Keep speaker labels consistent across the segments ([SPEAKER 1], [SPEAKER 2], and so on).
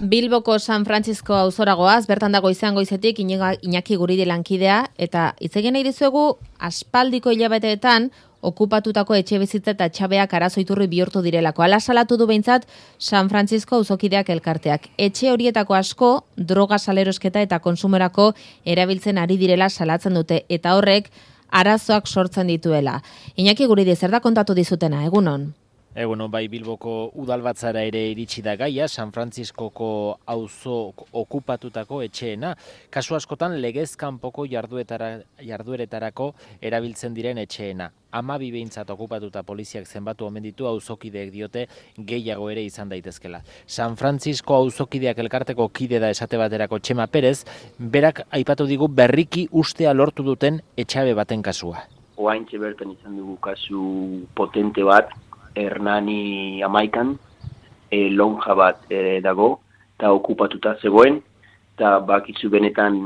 [SPEAKER 1] Bilboko San Francisco auzoragoaz, bertan dago izango izetik Iñaki Guridi lankidea, eta hitz egin nahi dizuegu aspaldiko hilabeteetan okupatutako etxebizitza eta txabeak arazo iturri bihurtu direlako. Hala salatu du behintzat San Francisco auzokideak elkarteak. Etxe horietako asko droga salerosketa eta konsumerako erabiltzen ari direla salatzen dute, eta horrek arazoak sortzen dituela. Iñaki Guridi, zer da kontatu dizutena, egunon?
[SPEAKER 2] Egunon, bai, Bilboko udalbatzara ere iritsi da gaia, San Franciscoko auzo okupatutako etxeena. Kasu askotan legez kanpoko jardueretarako erabiltzen diren etxeena. 12 behintzat okupatuta poliziak zenbatu omen ditu, auzokideek diote gehiago ere izan daitezkela. San Francisco auzokideak elkarteko kide da esate baterako Txema Perez, berak aipatu digu berriki ustea lortu duten etxabe baten kasua.
[SPEAKER 3] Oaintxe bertan izan dugu kasu potente bat, Hernani 11, lonja bat dago, eta okupatuta zegoen, eta bakizu benetan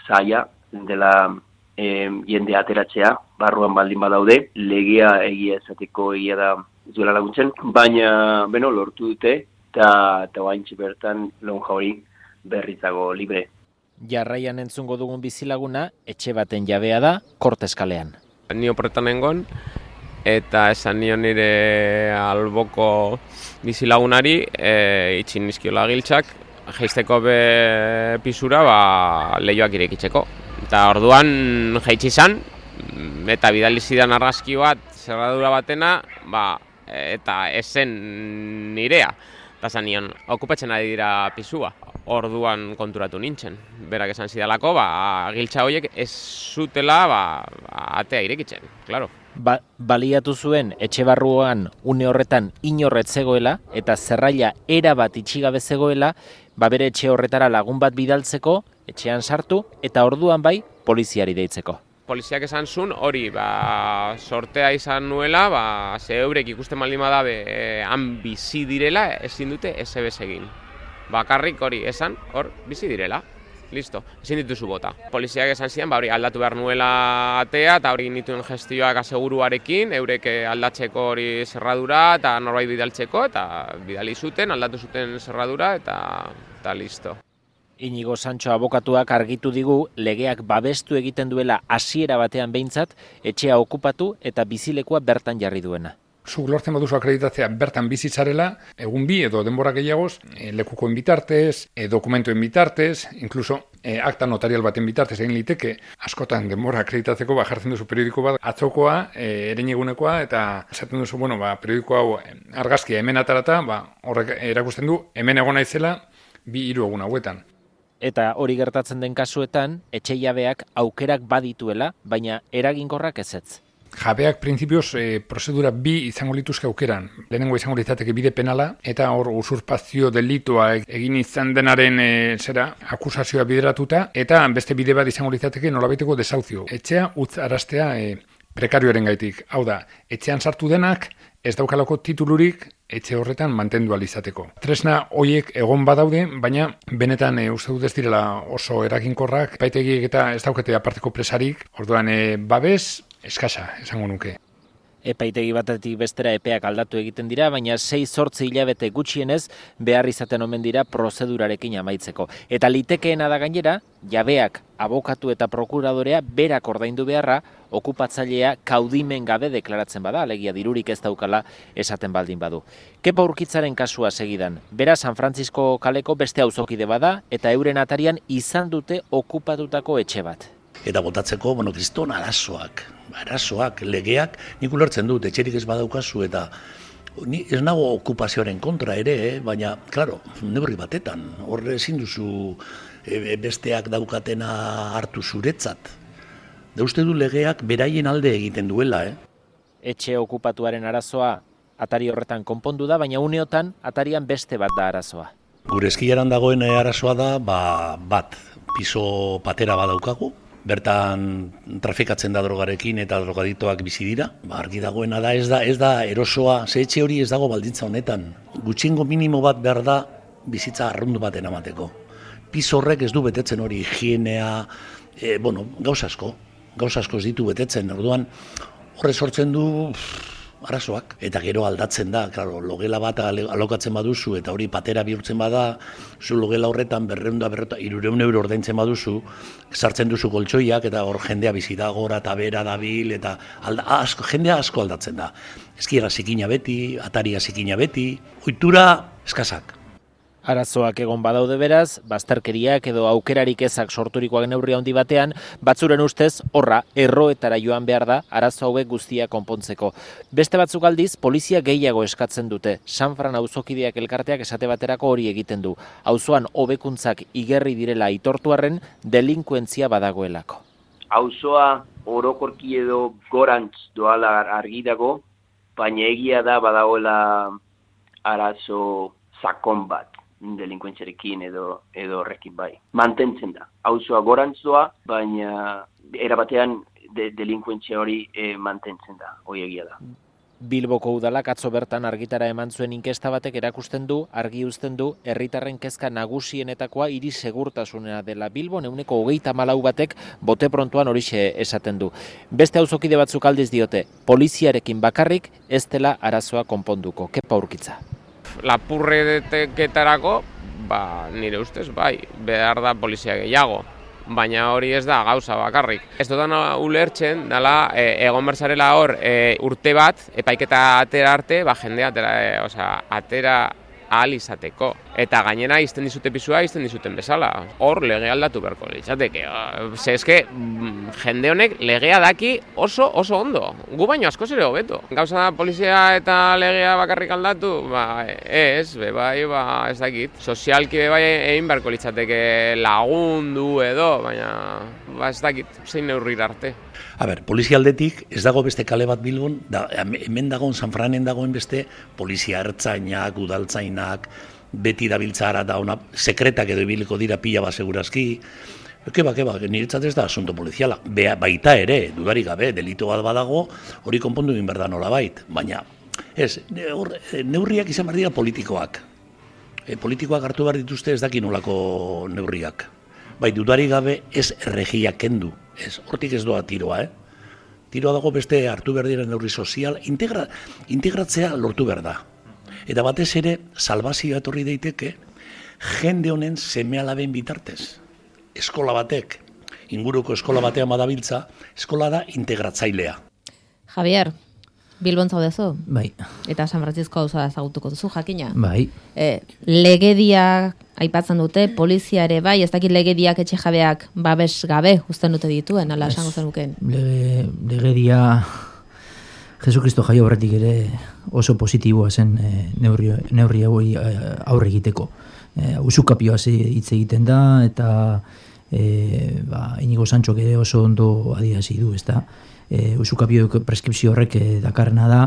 [SPEAKER 3] zaila dela jende ateratzea, barruan baldin badaude, legea egia esateko egia da zuela laguntzen, baina lortu dute, eta oaintxe bertan lonja hori berrizago libre.
[SPEAKER 2] Jarraian entzungo dugun bizilaguna, etxe baten jabea da, Korteskalean.
[SPEAKER 4] Ni oporretan nengon, eta esan nion nire alboko bizilagunari itxin nizkiola giltzak, jaisteko pisura lehioak irekitzeko. Eta orduan jaitsi izan, eta bidali zidan argazki bat, zerradura batena, eta esen nirea. Eta esan nion, okupatzen ari dira pisua. Orduan konturatu nintzen. Berak esan zidalako, giltza horiek ez zutela atea irekitzen, klaro.
[SPEAKER 2] Baliatu zuen etxe barruan une horretan inorret zegoela eta zerraila erabat itxigabe zegoela, bere etxe horretara lagun bat bidaltzeko, etxean sartu eta orduan bai poliziari deitzeko.
[SPEAKER 4] Poliziak esan zuen hori sortea izan nuela, ze eurek ikusten baldin badabe han bizi direla ezin dute esebez egin. Bakarrik hori esan hor bizi direla. Listo, ezin dituzu bota. Poliziak esan ziren, hori aldatu behar nuela atea, eta hori nituen gestioak aseguruarekin, eurek aldatzeko hori zerradura, eta norbait bidaltzeko, eta bidali zuten, aldatu zuten zerradura, eta listo.
[SPEAKER 2] Inigo Sancho abokatuak argitu digu legeak babestu egiten duela hasiera batean behintzat, etxea okupatu eta bizilekua bertan jarri duena.
[SPEAKER 5] Zuk lortzen baduzu akreditatzea bertan bizitzarela, egun bi edo denbora gehiagoz, lekukoen bitartez, dokumentuen bitartez, inkluso akta notarial baten bitartez egin liteke, askotan denbora akreditatzeko jartzen duzu periodiko bat, atzokoa, erenegunekoa, eta esaten duzu, periodiko hau argazkia hemen atarata, horrek erakusten du, hemen egon naizela, 2-3 egun hauetan.
[SPEAKER 2] Eta hori gertatzen den kasuetan, etxe jabeak aukerak badituela, baina eraginkorrak ezetz.
[SPEAKER 5] Jabeak printzipioz prozedura 2 izango lituzke aukeran. Lehenengo izango litzateke bide penala, eta hor usurpazio delitua egin izan denaren akusazioa bideratuta, eta beste bide bat izango litzateke nolabaiteko desauzio. Etxea utz araztea prekarioaren gaitik. Hau da, etxean sartu denak ez daukalako titulurik etxe horretan mantendu alizateko. Tresna horiek egon badaude, baina benetan uste dut ez direla oso eraginkorrak, epaitegiek eta ez daukete aparteko presarik, orduan babes eskasa, esango nuke.
[SPEAKER 2] Epaitegi batetik bestera epeak aldatu egiten dira, baina 6-8 hilabete gutxienez behar izaten omen dira prozedurarekin amaitzeko. Eta litekeena da gainera, jabeak, abokatu eta prokuradorea berak ordaindu beharra, okupatzailea kaudimen gabe deklaratzen bada, alegia dirurik ez daukala esaten baldin badu. Kepa Urkitzaren kasua segidan, bera San Francisco kaleko beste auzokide bada, eta euren atarian izan dute okupatutako etxe bat.
[SPEAKER 6] Eta botatzeko, kriston arazoak, legeak, nik ulertzen dut, etxerik ez badaukazu, eta ni ez nago okupazioaren kontra ere, baina, klaro, neurri batetan, horre ezin duzu besteak daukatena hartu zuretzat. Da uste du legeak beraien alde egiten duela,
[SPEAKER 2] Etxe okupatuaren arazoa atari horretan konpondu da, baina uneotan atarian beste bat da arazoa.
[SPEAKER 6] Gure eskiaran dagoen arazoa da, bat, piso patera badaukagu, bertan trafikatzen da drogarekin eta drogaditoak bizi dira. Argi dagoena da, ez da erosoa, ze etxe hori ez dago baldintza honetan. Gutxiengo minimo bat behar da bizitza arrundu baten amateko. Piso horrek ez du betetzen hori higienea, gauza asko ez ditu betetzen. Orduan horre sortzen du arazoak. Eta gero aldatzen da, claro, logela bat alokatzen baduzu, eta hori patera bihurtzen bada, zu logela horretan 300 euro ordaintzen baduzu, sartzen duzu koltsoiak, eta hor jendea bizi da, gora eta bera dabil, eta jendea asko aldatzen da. Eskiera zikina beti, ataria zikina beti, ohitura eskasak.
[SPEAKER 2] Arazoak egon badaude beraz, bazterkeriak edo aukerarik ezak sorturikoak neurri handi batean, batzuren ustez horra erroetara joan behar da arazo hauek guztia konpontzeko. Beste batzuk aldiz, polizia gehiago eskatzen dute. Sanfran auzokideak elkarteak esate baterako hori egiten du. Auzoan hobekuntzak igerri direla aitortuarren delinkuentzia badagoelako.
[SPEAKER 3] Auzoa orokorki edo gorantz doala argi dago, baina egia da badagoela arazo sakon bat delinkuentziarekin edo horrekin bai. Mantentzen da. Auzoa gorantz doa, baina erabatean delinkuentzia hori mantentzen da. Hoi egia da.
[SPEAKER 2] Bilboko udalak atzo bertan argitara eman zuen inkesta batek erakusten du, argi uzten du, herritarren kezka nagusienetakoa hiri segurtasunera dela. Bilbon 24 batek bote prontuan horixe esaten du. Beste auzokide batzuk aldiz diote, poliziarekin bakarrik ez dela arazoa konponduko. Kepa Urkitza.
[SPEAKER 4] Lapurreketarako, nire ustez, behar da polizia gehiago. Baina hori ez da gauza bakarrik. Ez dudan ulertzen, dela, egon berzarela hor urte bat, epaiketa atera arte, jendea atera ahal izateko. Eta gainera izten dizute pisua, izten dizuten bezala. Hor legea aldatu beharko litzateke. Eske jende honek legea daki oso ondo. Gu baino askoz ere hobeto. Gauza da polizia eta legea bakarrik aldatu, ez dakit. Sozialki egin beharko litzateke lagundu edo, baina ez dakit, zein neurrir arte.
[SPEAKER 6] Polizia aldetik ez dago beste kale bat Bilbon, hemen dagoen, Sanfranen dagoen beste polizia ertzainak, udaltzainak, beti dabiltzara da ona, sekretak edo ibiliko dira pila bat segurazki. Keba, niretzat ez da asunto poliziala. Baita ere, dudarik gabe, delito bat badago, hori konpondu egin behar da nolabait. Baina, neurriak izan behar dira politikoak. Politikoak hartu behar dituzte ez daki nolako neurriak. Dudarik gabe ez erregiak kendu. Hortik ez doa tiroa, Tiroa dago beste hartu behar dira neurri sozial, integratzea lortu behar da. Eta batez ere, salbazioa etorri daiteke, jende honen seme-alaben bitartez. Eskola batek, inguruko eskola batean badabiltza, eskola da integratzailea.
[SPEAKER 1] Javier, Bilbon zaudezu?
[SPEAKER 7] Bai.
[SPEAKER 1] Eta San Francisco auzoa ezagutuko duzu, jakina?
[SPEAKER 7] Bai.
[SPEAKER 1] Legedia aipatzen dute, polizia ere bai, ez dakit legediak etxe jabeak babes gabe uzten dute dituen, ala esango zenuken?
[SPEAKER 7] Legedia Jesukristo jaio horretik ere oso positiboa zen neurri hori aurre egiteko. Usukapioa hitz egiten da, eta Inigo Santxok ere oso ondo adierazi du, ezta? Usukapio preskripzio horrek dakarrena da,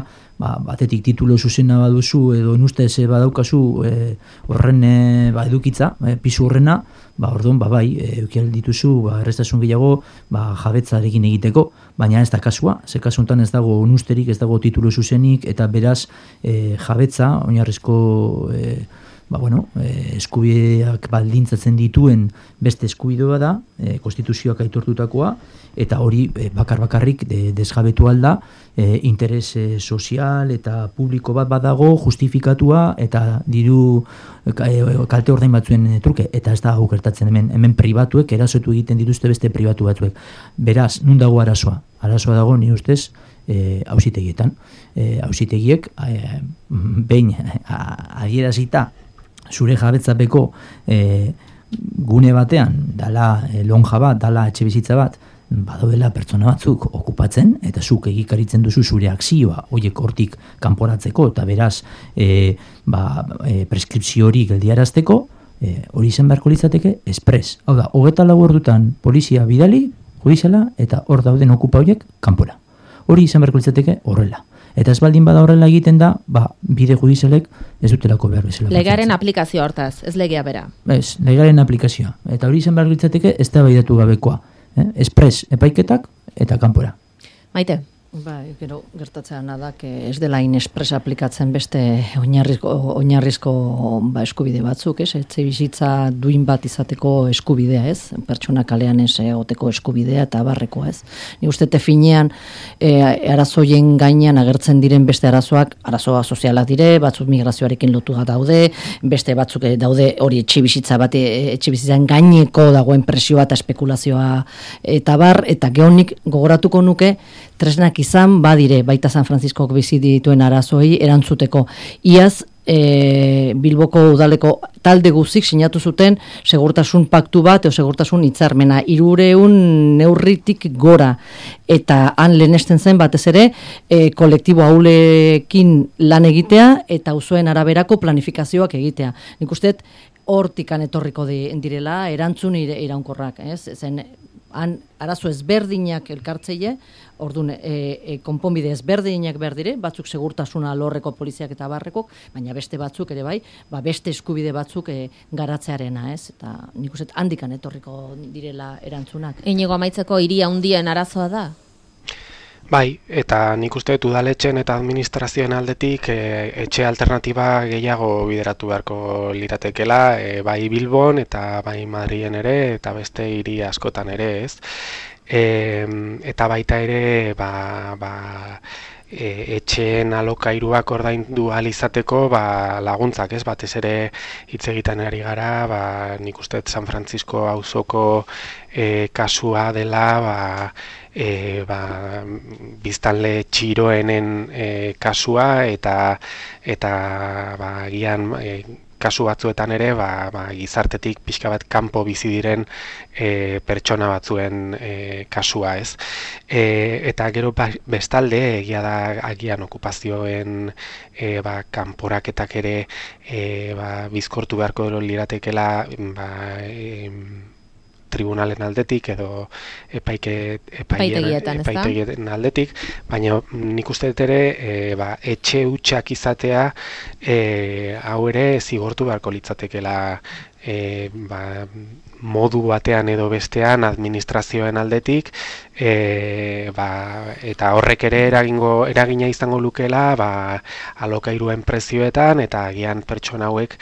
[SPEAKER 7] batetik titulo zuzena baduzu edo nustez badaukazu horren edukitza, pisu horrena, orduan eukial dituzu errestasun gehiago jabetzarekin egiteko, baina ez da kasua, ze kasu honetan ez dago nusterik, ez dago titulo zuzenik, eta beraz jabetza, oinarrizko eskubideak baldintzatzen dituen beste eskubidea da, konstituzioak aitortutakoa, eta hori bakarrik desjabetu alda, interes sozial eta publiko bat badago, justifikatua, eta diru kalte ordain batzuen truke, eta ez da hau gertatzen hemen pribatuek, erasotu egiten dituzte beste pribatu batzuek. Beraz, nun dago arazoa? Arazoa dago, nire ustez, auzitegietan. Auzitegiek, behin adierazita, zure jabetzapeko gune batean, dala lonja bat, dala etxe bizitza bat, badaudela pertsona batzuk okupatzen, eta zuk egikaritzen duzu zure akzioa horiek hortik kanporatzeko, eta beraz preskripzio hori geldiarazteko, hori izan beharko litzateke espres. Hau da, 24 ordutan polizia bidali, judiziala, eta hor dauden okupa horiek kanpora. Hori izan beharko litzateke horrela. Eta ez baldin bada horrela egiten da, bide judizialek ez dutelako behar bezala.
[SPEAKER 1] Legaren aplikazio hortaz, ez legea bera.
[SPEAKER 7] Ez, legaren aplikazioa. Eta hori izan beharko litzateke ez da baidatu gabekoa. Espres epaiketak eta kanpora.
[SPEAKER 1] Maite,
[SPEAKER 8] Bai, gero gertatzen da, ez dela inespres aplikatzen beste oinarrizko eskubide batzuk, ez? Etxe bizitza duin bat izateko eskubidea, ez? Pertsona kalean ez egoteko eskubidea eta barrekoa, ez? Ni uste finean arazoien gainean agertzen diren beste arazoak, arazoa sozialak dire, batzuk migrazioarekin lotuta daude, beste batzuk daude hori etxe bizitzan gaineko dagoen presioa eta espekulazioa eta bar, eta geonik gogoratuko nuke tresnak izan badire baita San Franciscok bizi dituen arazoei erantzuteko. Iaz Bilboko udaleko talde guzik sinatu zuten segurtasun paktu bat edo segurtasun hitzarmena 300 neurritik gora, eta han lehenesten zen batez ere kolektibo ahulekin lan egitea eta auzoen araberako planifikazioak egitea. Nik uste hortikan etorriko direla erantzun iraunkorrak, ez? Zen han arazo ezberdinak elkartzeile, orduan konponbide ezberdinak berdire, batzuk segurtasuna alorreko poliziak eta barrekok, baina beste batzuk ere bai, beste eskubide batzuk garatzearena, ez? Eta nik uste handikan etorriko direla erantzunak.
[SPEAKER 1] Inigo, amaitzeko hiria handien arazoa da?
[SPEAKER 9] Bai, eta nik uste udaletxen eta administrazioen aldetik etxe alternatiba gehiago bideratu beharko liratekela, bai Bilbon eta bai Madrilen ere eta beste hiri askotan ere, ez? Eta baita ere etxeen alokairuak ordaindu ahal izateko laguntzak, ez? Batez ere hitz egiten ari gara, nik uste San Francisco auzoko kasua dela, biztanle txiroenen kasua eta gian kasu batzuetan ere gizartetik pixka bat kanpo bizi diren pertsona batzuen kasua, ez? Eta gero bestalde egia da agian okupazioen kanporaketak ere bizkortu beharko liratekela tribunalen aldetik edo epaitegietan aldetik, baina nik uste dut ere etxe hutsak izatea hau ere zigortu beharko litzatekela modu batean edo bestean administrazioen aldetik, eta horrek ere eragina izango lukela alokairuen prezioetan eta agian pertsona hauek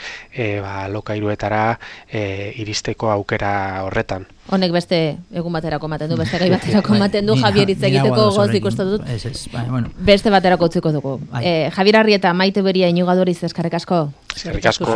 [SPEAKER 9] alokairuetara iristeko aukera horretan.
[SPEAKER 1] Honek beste egun baterako ematen du, beste gai baterako ematen du, Javier hitz egiteko goz ikusten dut. Beste baterako utziko dugu. Javier Arrieta, Maite Beria, Inigo Aduriz, eskerrik asko.
[SPEAKER 9] Eskerrik asko.